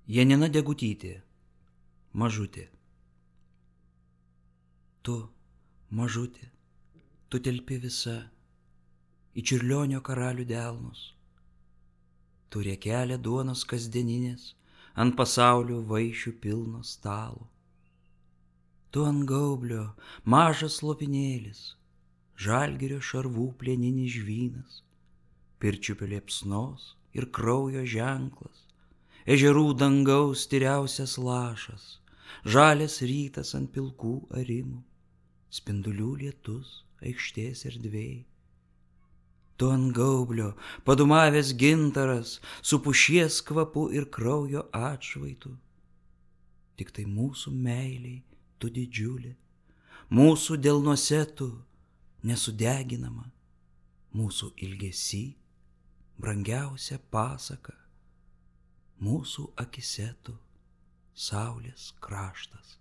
Janina Degutytė, Mažutė. Tu, mažutė, tu telpi visa į Čiurlionio karalių delnus. Tu riekelė duonos kasdieninės ant pasaulio vaišių pilno stalo. Tu ant gaublio mažas lopinėlis, Žalgirio šarvų plieninis žvynas, pirčiupio liepsnos ir kraujo ženklas, ežerų dangaus tyriausias lašas, žalias rytas ant pilkų arimų, spindulių lietus aikštės erdvėj. Tu ant gaublio padumavęs gintaras, su pušies kvapu ir kraujo atšvaitu. Tik tai mūsų meiliai tu didžiulė, mūsų delnuose tu nesudeginama, mūsų ilgesy brangiausia pasaka, mūsų akyse tu saulės kraštas.